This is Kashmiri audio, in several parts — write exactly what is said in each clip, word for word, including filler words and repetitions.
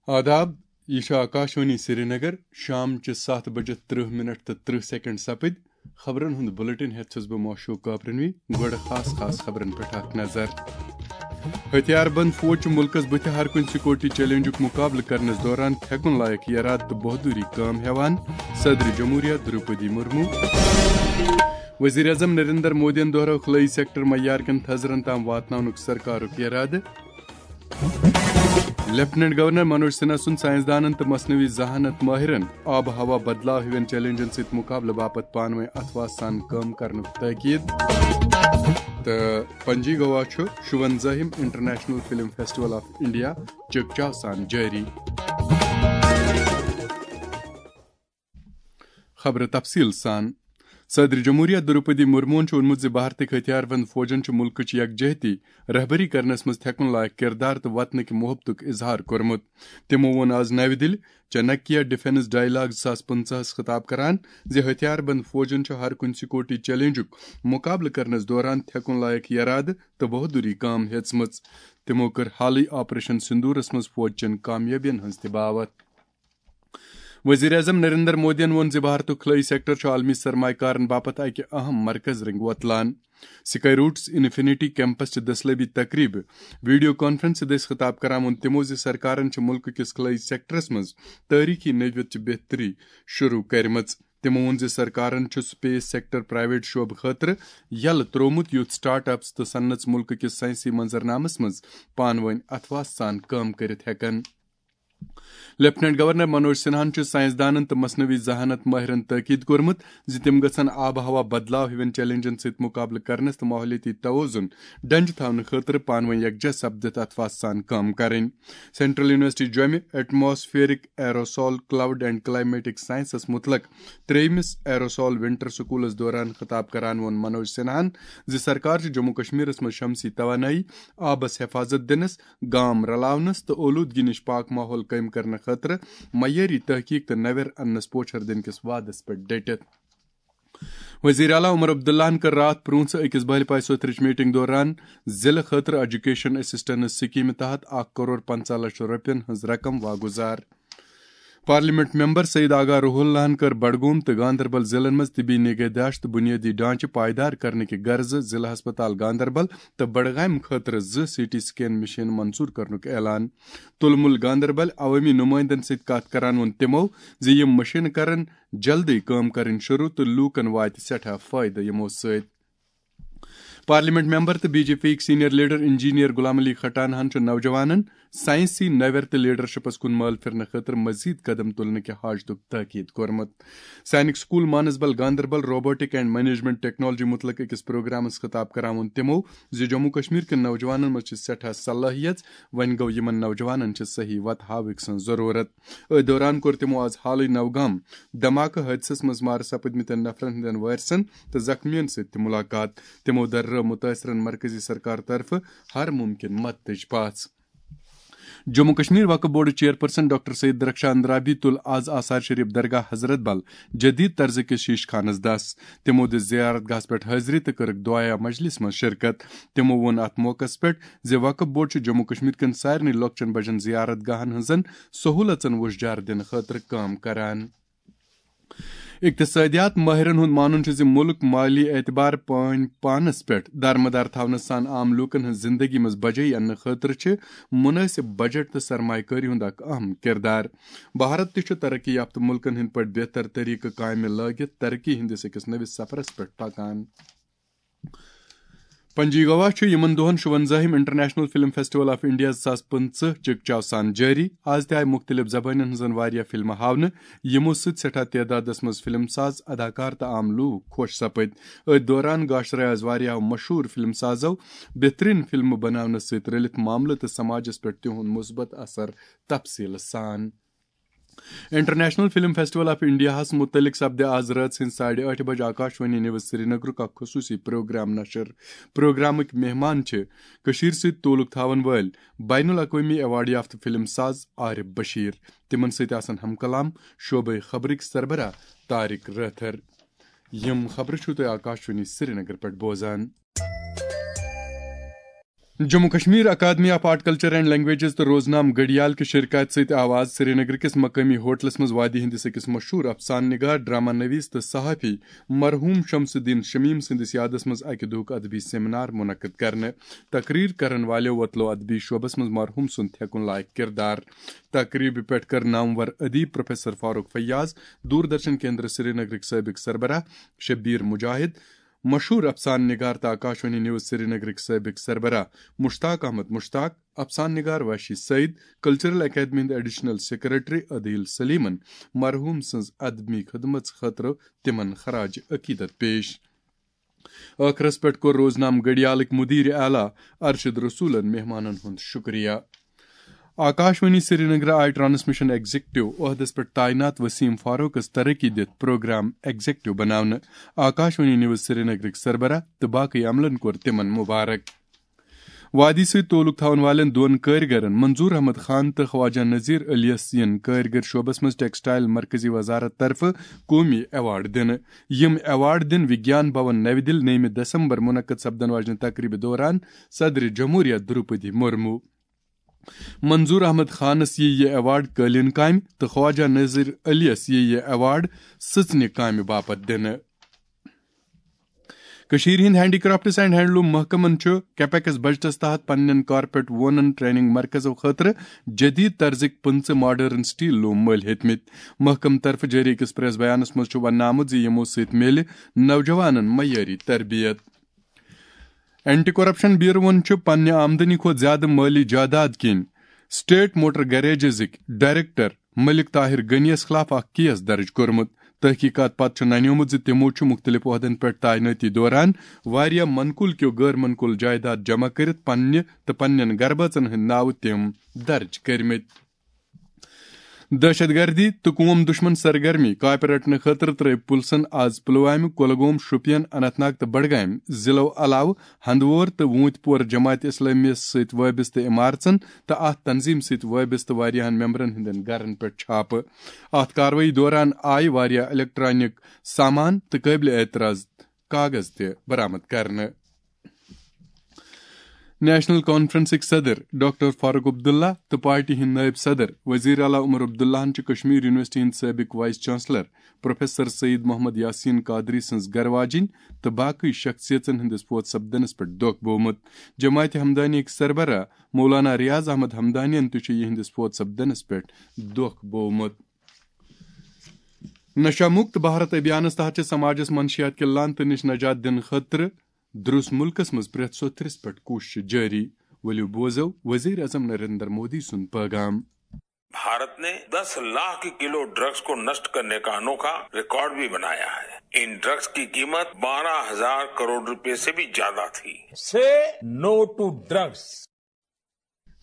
آداب، یہِ چھُ آکاشوانی سرینگر۔ شام چہِ ستھ بجہِ ترٕہ منٹ تہٕ ترٕہ سیکنڈ سپٕدۍ۔ خبرن ہُنٛد بلیٹن ہٮ۪تھ چھُس بہٕ معشوق کاپرنوی۔ گۄڈٕ خاص خاص خبرن پٮ۪ٹھ اکھ نظر۔ ہتھیار بند فوج چھُ مُلکس بُتھِ ہر کُنہِ سیکورٹی چیلنجُک مُقابلہٕ کرنس دوران تھٮ۪کُن لایق یرادٕ تہٕ بہادُری کٲم ہٮ۪وان، صدر جمہوریہ دروپدی مرمو۔ وزیر اعظم نریندر مودیَن دۄہرٲو خلٲیی سیکٹر معیار کٮ۪ن تھزرن تام واتناونُک سرکارُک یرادٕ۔ لیفٹیننٹ گورنر منوج سنہا سُنٛد سائنسدانن تہٕ مصنوعی ذہانت ماہرن آب و ہوا بدلاو ہِوٮ۪ن چیلنجن سۭتۍ مقابلہٕ باپتھ پانہٕ وٲنۍ اتھواہ سان کٲم کرنُک تاکید۔ تہٕ پنجی گوا چھُ شُونزٲہِم international film festival of India چکچاو سان جٲری۔ خبرٕ تفصیٖل سان۔ صدر جمہوریہ دروپدی مرموہن چھُ ووٚنمُت زِ بھارتٕکۍ ہتھیار بند فوجن چھُ مُلکٕچ یکجہتی، رہبری کرنس منٛز تھٮ۪کُن لایق کردار تہٕ وطنٕکۍ محبتُک اظہار کوٚرمُت۔ تِمو ووٚن آز نَوِ دِلہِ چانکیہ ڈیفنس ڈائیلاگ زٕ ساس پٕنٛژٕہس خطاب کران زِ ہتھیار بند فوجن چھُ ہر کُنہِ سیکورٹی چیلنجُک مقابلہٕ کرنس دوران تھٮ۪کُن لایق یرادٕ تہٕ بہادُری کٲم ہیژمٕژ۔ تِمو کٔر حالٕے آپریشن سندورس منٛز فوج چٮ۪ن کامیٲبین ہٕنٛز تہِ باوتھ۔ وزیر اعظم نریندر مودیَن ووٚن زِ بھارتُک خلٲیی سیکٹر چھُ عالمی سرمایہ کارن باپتھ اکہِ اہم مرکز رنگ وۄتلان۔ سکائی روٹس انفینٹی کیمپس چہِ دٔسلٲبی تقریبہِ ویڈیو کانفرنس سۭتۍ ٲسۍ خطاب کران ووٚن تِمو زِ سرکارن چھِ مُلکہٕ کِس خلٲیی سیکٹرس منٛز تٲریخی نٔوِیت چہِ بہتری شروع کٔرمٕژ۔ تِمو ووٚن زِ سرکارن چھُ سپیس سیکٹر پرائیویٹ شعبہٕ خٲطرٕ یلہٕ تروومُت، یُتھ سٹارٹ اپس تہٕ صنعتس مُلکہٕ کِس سائنسی منظرنامس منٛز پانہٕ وٲنۍ اتھواہ سان کٲم کٔرِتھ ہٮ۪کن۔ لیفٹیننٹ گورنر منوج سنہاہن چھُ سائنسدانن تہٕ مصنوعی ذہانت ماہرن تاکید کوٚرمُت زِ تِم گژھن آب و ہوا بدلاو ہِوٮ۪ن چیلنجن سۭتۍ مقابلہٕ کرنس تہٕ ماحولیٲتی توازن ڈنجہِ تھاونہٕ خٲطرٕ پانہٕ وٲنۍ یکجاہ سپدِتھ اتھواہ سان کٲم کرٕنۍ۔ سینٹرل یونیورسٹی جوٚمہِ atmospheric aerosol cloud and climatic sciences متعلق ترٛیٚیمِس ایروسول ونٹر سکولس دوران خطاب کران ووٚن منوج سنہاہن زِ سرکار چھِ جموں کشمیرس منٛز شمسی توانٲیی، آبس حفاظت دِنس، گام رلاونس تہٕ اولودگی نِش پاک ماحول قٲیِم کرنہٕ خٲطرٕ معیٲری تحقیق تہٕ نویر اننس پوچھر دِنہٕ کِس وعدس پٮ۪ٹھ ڈٔٹِتھ۔ وزیر اعلیٰ عمر عبداللہن کٔر راتھ پرونٛژھ أکِس بہلہِ پاے سوتھرٕچ میٹنگ دوران ضلعہٕ خٲطرٕ ایجوکیشن اسسٹنس سکیمہِ تحت اکھ کرور پنٛژاہ لچھ رۄپین ہٕنٛز رقم واگُزار۔ پارلیمنٹ ممبر سعید آغا روح اللہن کٔر بڈگوم تہٕ گاندربل ضلعن منٛز طبی نگہداشت تہٕ بنیٲدی ڈھانچہٕ پائیدار کرنہٕ کہِ غرضہٕ ضلعہٕ ہسپتال گاندربل تہٕ بڈگامہِ خٲطرٕ زٕ سی ٹی سکین مشین منظور کرنُک اعلان۔ تُلمُل گاندربل عوٲمی نمٲیندن سۭتۍ کتھ کران ووٚن تِمو زِ یِم مشینہٕ کرن جلدی کٲم کرٕنۍ شروع تہٕ لوٗکن واتہِ سٮ۪ٹھاہ فٲیدٕ یِمو سۭتۍ۔ پارلیمنٹ ممبر تہٕ بی جے پی یِکۍ senior leader engineer Ghulam Ali کھٹانہن چھُ نوجوانن سائنسی نویر تہٕ لیڈرشپس کُن مٲل پھرنہٕ خٲطرٕ مزید قدم تُلنہٕ کہِ حاجتُک تاکید کوٚرمُت۔ Sainik school Manasbal Ganderbal robotic and management technology متعلق أکِس پروگرامس خطاب کران ووٚن تِمو زِ جموں کشمیر کٮ۪ن نوجوانن منٛز چھِ سٮ۪ٹھاہ صلٲحیت، وۄنۍ گوٚو یِمن نوجوانن چھِ صحیح وتھ ہاوٕکۍ سٕنٛز ضروٗرت۔ أتھۍ دوران کوٚر تِمو آز حالٕے نوگام دھماکہٕ حٲدثس منٛز مارٕ سپٕدمٕتٮ۪ن نفرن ہٕنٛدٮ۪ن وارثن تہٕ زخمیَن سۭتۍ تہِ مُلاقات۔ تِمو دررٲو مُتٲثرَن مرکزی سرکار طرفہٕ ہر مُمکِن مدتٕچ پژھ۔ جموں کشمیر وقف board chairperson doctor Syed Darakhshan Andrabi تُل آز آثار شریف درگاہ حضرت بل جدید طرزٕ کِس شیش خانس دس۔ تِمو دِژ زیارت گاہس پٮ۪ٹھ حٲضری تہٕ کٔرٕکھ دعایا مجلس منٛز شرکت۔ تِمو ووٚن اتھ موقعس پٮ۪ٹھ زِ وقف بورڈ چھُ جموں کشمیر کٮ۪ن سارنٕے لۄکچٮ۪ن بجن زیارت گاہن ہٕنٛزن سہولژن وُشجار دِنہٕ خٲطرٕ کٲم کران۔ اقتصٲدیات مٲہرن ہُنٛد مانُن چھُ زِ مُلک مٲلی اعتبار پٲنۍ پانس پٮ۪ٹھ دارمدار تھاونہٕ سان عام لوٗکن ہٕنٛز زِندگی منٛز بجٲیی اننہٕ خٲطرٕ چھِ مُنٲسِب بجٹ تہٕ سرمایہ کٲری ہُنٛد اکھ اہم کردار۔ بھارت تہِ چھُ ترقی یافتہٕ مُلکن ہٕنٛدۍ پٲٹھۍ بہتر طریقہٕ کامہِ لٲگِتھ ترقی ہٕنٛدِس أکِس نٔوِس سفرس پٮ۪ٹھ پکان۔ پنجی گوا چھُ یِمن دۄہن شُونزٲہِم international film festival of India زٕ ساس پٕنٛژٕہ چکچاو سان جٲری۔ آز تہِ آیہِ مُختٔلِف زبٲنٮ۪ن ہٕنٛزن واریاہ فلمہٕ ہاونہٕ، یِمو سۭتۍ سٮ۪ٹھاہ تعدادس منٛز فلم ساز، اداکار تہٕ عام لوٗکھ خۄش سپٕدۍ۔ أتھۍ دوران گاشرے آز واریاہو مشہوٗر فلم سازو بہترین فلمہٕ بناونس سۭتۍ رٔلِتھ معاملہٕ تہٕ سماجس پٮ۪ٹھ تِہُنٛد مثبت اثر تفصیٖلہٕ سان۔ انٹرنیشنل فلم فیسٹیول آف انڈیاہس متعلق سپدِ آز رٲژ ہٕنٛزِ ساڑِ ٲٹھِ بجہِ آکاشوانی نیوز سرینگرُک اکھ خصوٗصی پروگرام نشر۔ پروگرامٕکۍ مہمان چھِ کٔشیٖرِ سۭتۍ تعلق تھاون وٲلۍ بین الاقوٲمی ایوارڈ یافتہٕ فلم ساز عارف بشیر۔ تِمن سۭتۍ آسن ہم کلام شعبے خبرٕکۍ سربراہ طارق رٲتھر۔ یِم خبرٕ چھِو تُہۍ آکاشوانی سرینگر پٮ۪ٹھ بوزان۔ Jammu Kashmir academy of art culture and languages تہٕ روزنام گڑیال کہِ شرکت سۭتۍ آو آز سرینگر کِس مقٲمی ہوٹلس منٛز وادی ہٕنٛدِس أکِس مشہوٗر افسانہٕ نگار، ڈرامہ نویس تہٕ صحافی مرحوم شمس الدین شمیم سٕنٛدِس یادس منٛز اکہِ دۄہُک ادبی سیمینار منعقد کرنہٕ۔ تقریر کرن والٮ۪و وۄتلو ادبی شعبس منٛز مرحوم سُنٛد تھٮ۪کُن لایق کردار۔ تقریبہِ پٮ۪ٹھ کٔر نامور ادیب پروفیسر فاروق فیاض، دوردرشن کیندر سرینگرٕکۍ سٲبق سربراہ شبیر مجاہد، مشہوٗر افسانہٕ نگار تہٕ آکاشوانی نیوز سرینگرٕکۍ سٲبق سربراہ مشتاق احمد مشتاق، افسانہٕ نگار وحشی سعید، کلچرل اکیڈمی ہٕنٛدۍ ایڈیشنل سیکرٹری عدیل سلیمن مرحوم سٕنٛز ادبی خدمژ خٲطرٕ تِمن خراج عقیدت پیش۔ ٲخرس پٮ۪ٹھ کوٚر روزنام گڑیالٕکۍ مدیر اعلیٰ ارشد رسولن مہمانن ہُنٛد شکریہ۔ آکاشوانی سرینگر آیہِ ٹرانسمیشن ایگزیکٹو عہدس پٮ۪ٹھ تعینات وسیم فاروقس ترقی دِتھ پروگرام ایگزیکٹو بناونہٕ۔ آکاشوانی نیوز سرینگرٕکۍ سربراہ تہٕ باقٕے عملن کوٚر تِمن مبارک۔ وادی سۭتۍ تعلق تھاون والٮ۪ن دۄن کٲرۍگرن منظور احمد خان تہٕ خواجہ نذیر علیس یِن کٲرۍگر شعبس منٛز ٹیکسٹائل مرکزی وزارت طرفہٕ قومی ایوارڈ دِنہٕ۔ یِم ایوارڈ دِن وگیان بھون نوِ دِل نٔیمہِ دسمبر منعقد سپدن واجنہِ تقریبہِ دوران صدر جمہوریہ دروپدی مرمو۔ منظور احمد خانس ییہِ یہِ ایوارڈ قٲلیٖن کامہِ تہٕ خواجہ نذیر علیس ییہِ یہِ ایوارڈ سٕژنہِ کامہِ باپتھ دِنہٕ۔ کٔشیٖرِ ہٕنٛدۍ ہینڈی کرافٹس اینڈ ہینڈلوم محکمن چھُ کیپیکس بجٹس تحت پننٮ۪ن کارپیٹ وونن ٹریننگ مرکزو خٲطرٕ جدید طرزٕکۍ پٕنٛژٕہ ماڈرن سٹیل لوم مٔلۍ ہیٚتمٕتۍ۔ محکمہٕ طرفہٕ جٲری أکِس پریس بیانس منٛز چھُ وننہٕ آمُت زِ یِمو سۭتۍ میلہِ نوجوانن معیٲری تربیت۔ اینٹی کرپشن بیوروَن چھُ پننہِ آمدنی کھۄتہٕ زیادٕ مٲلی جائیداد کِنۍ سٹیٹ موٹر گیریجزٕکۍ ڈائریکٹر ملک طاہر غنی یَس خلاف اکھ کیس درج کوٚرمُت۔ تحقیقات پتہٕ چھُ ننیومُت زِ تِمو چھُ مُختٔلِف عہدن پٮ۪ٹھ تعینٲتی دوران واریاہ منقول کیو غٲر منقول جائیداد جمع کٔرِتھ پننہِ تہٕ پننٮ۪ن گربٲژن ہٕنٛدۍ ناوٕ تِم درج کٔرمٕتۍ۔ دہشت گردی تہٕ قوم دشمن سرگرمی کاپہِ رٹنہٕ خٲطرٕ ترٲوۍ پُلسن آز پلوامہِ، کۄلگوم، شوپین، اننت ناگ تہٕ بڈگامہِ ضلعو علاوٕ ہندوور تہٕ ووٗنتۍ پور جماعت اسلامیہ سۭتۍ وابستہٕ عمارژن تہٕ اتھ تنظیم سۭتۍ وابستہٕ واریاہن ممبرن ہٕنٛدٮ۪ن گرن پٮ۪ٹھ چھاپہٕ۔ اتھ کاروٲیی دوران آیہِ واریاہ الیکٹرانک سامان تہٕ قٲبلِ اعتراض کاغذ تہِ برآمد کرنہٕ۔ نیشنل کانفرنسٕکۍ صدر ڈاکٹر فاروق عبداللہ تہٕ پارٹی ہٕنٛدۍ نٲیِب صدر وزیر اعلیٰ عمر عبداللہن چھِ کشمیر یونیورسٹی ہٕنٛدۍ سٲبق vice chancellor professor Saeed Mohammad Yasin Qadri سٕنٛز گرٕ واجِنۍ تہٕ باقٕے شخصیژن ہٕنٛدِس فوت سپدنس پٮ۪ٹھ دۄکھ بوومُت۔ جماعت ہمدانیٕکۍ سربراہ مولانا ریاض احمد ہمدانین تہِ چھُ یِہنٛدِس فوت سپدنس پٮ۪ٹھ دۄکھ بوومُت۔ نشہ مکت بھارت ابھیانس تحت چھِ سماجس منشیات کہِ لعنتہٕ نِش نجات دِنہٕ خٲطرٕ درُس مُلکس منٛز پرٛٮ۪تھ سوٚتھرِس پٮ۪ٹھ کوٗششہٕ جٲری۔ ؤلِو بوزو وزیر اعظم نریندر مودی سُنٛد پیغام۔ भारत ने दस लाख किलो ड्रग्स को नष्ट करने का अनोखा रिकॉर्ड भी बनाया है। इन ड्रग्स की कीमत बारह हजार करोड़ रुपए से भी ज्यादा थी। Say no to drugs.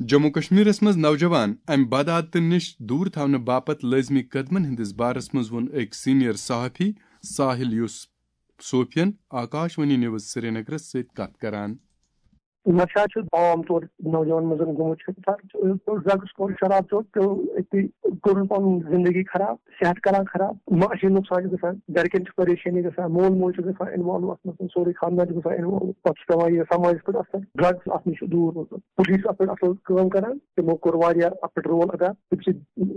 Jammu کشمیرس منٛز نوجوان امہِ بدعادتہٕ نِش دوٗر تھاونہٕ باپتھ لٲزمی قدمن ہٕنٛدِس بارس منٛز ووٚن أکۍ سینئر صحافی ساحل یوسف صوفین آکاش وانی نیوز سرینگرس سۭتۍ کتھ کران۔ نشہ چھُ عام طور نوجوان منٛز گوٚمُت چھُ۔ ڈرگس کوٚر، شراب چوٚو، پیوٚو أتی، کوٚرُن پنُن زندگی خراب، صحت کران خراب، معاشی نۄقصان چھُ گژھان، گرِکٮ۪ن چھِ پریشٲنی گژھان، مول موج چھُ گژھان انوالو اتھ منٛز، سورُے خاندان چھُ گژھان انوالو۔ پتہٕ چھُ پٮ۪وان یہِ سماجس پٮ۪ٹھ اثر۔ ڈرگس اتھ نِش چھُ دوٗر روزُن۔ پُلیٖس اتھ پٮ۪ٹھ اصل کٲم کران، تِمو کوٚر واریاہ اتھ پٮ۪ٹھ رول ادا۔ تِم چھِ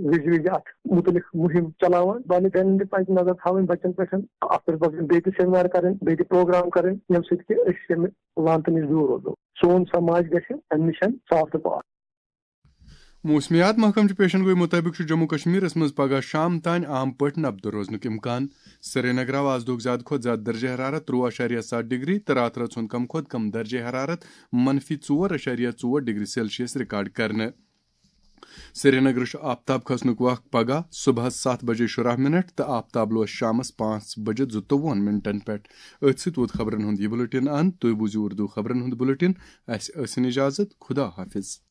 وِزِ وِزِ اتھ مُتعلق مُہِم چلاوان۔ والدینن تہِ پزِ نظر تھاوٕنۍ بچن پٮ۪ٹھ، اتھ پٮ۪ٹھ پزن بیٚیہِ تہِ سیمینار کرٕنۍ، بیٚیہِ تہِ پروگرام کرٕنۍ، ییٚمہِ سۭتۍ کہِ أسۍ ییٚمہِ لعنتہٕ نِش دوٗر روزو۔ سون سماج گژھِ امہِ نِش صاف تہٕ پاک۔ موسمیات محکمہٕ چہِ پیشن گوئی مُطٲبِق چھُ جموں کشمیرس منٛز پگہہ شام تام عام پٲٹھۍ نبدٕ روزنُک امکان۔ سرینگر آو آز دۄہُک زیادٕ کھۄتہٕ زیادٕ درجہ حرارت ترٛوُہ اعشاریہ ستھ ڈگری تہٕ راتہٕ رٲژ ہُنٛد کم کھۄتہٕ کم درجہ حرارت منفی ژور اعشاریہ ژور ڈگری سیلسیس ریکارڈ کرنہٕ۔ سرینگرٕ چھُ آفتاب کھسنُک وق پگہہ صبحس ستھ بجے شُراہ منٹ تہٕ آفتاب لوس شامس پانٛژھ بجے زٕتووُہن منٹن پٮ۪ٹھ۔ أتھۍ سۭتۍ ووت خبرن ہُنٛد یہِ بُلٹن اند۔ تُہۍ بوٗزِو اردو خبرن ہُنٛد بُلٹن۔ اسہِ ٲسِن اجازت۔ خدا حافظ۔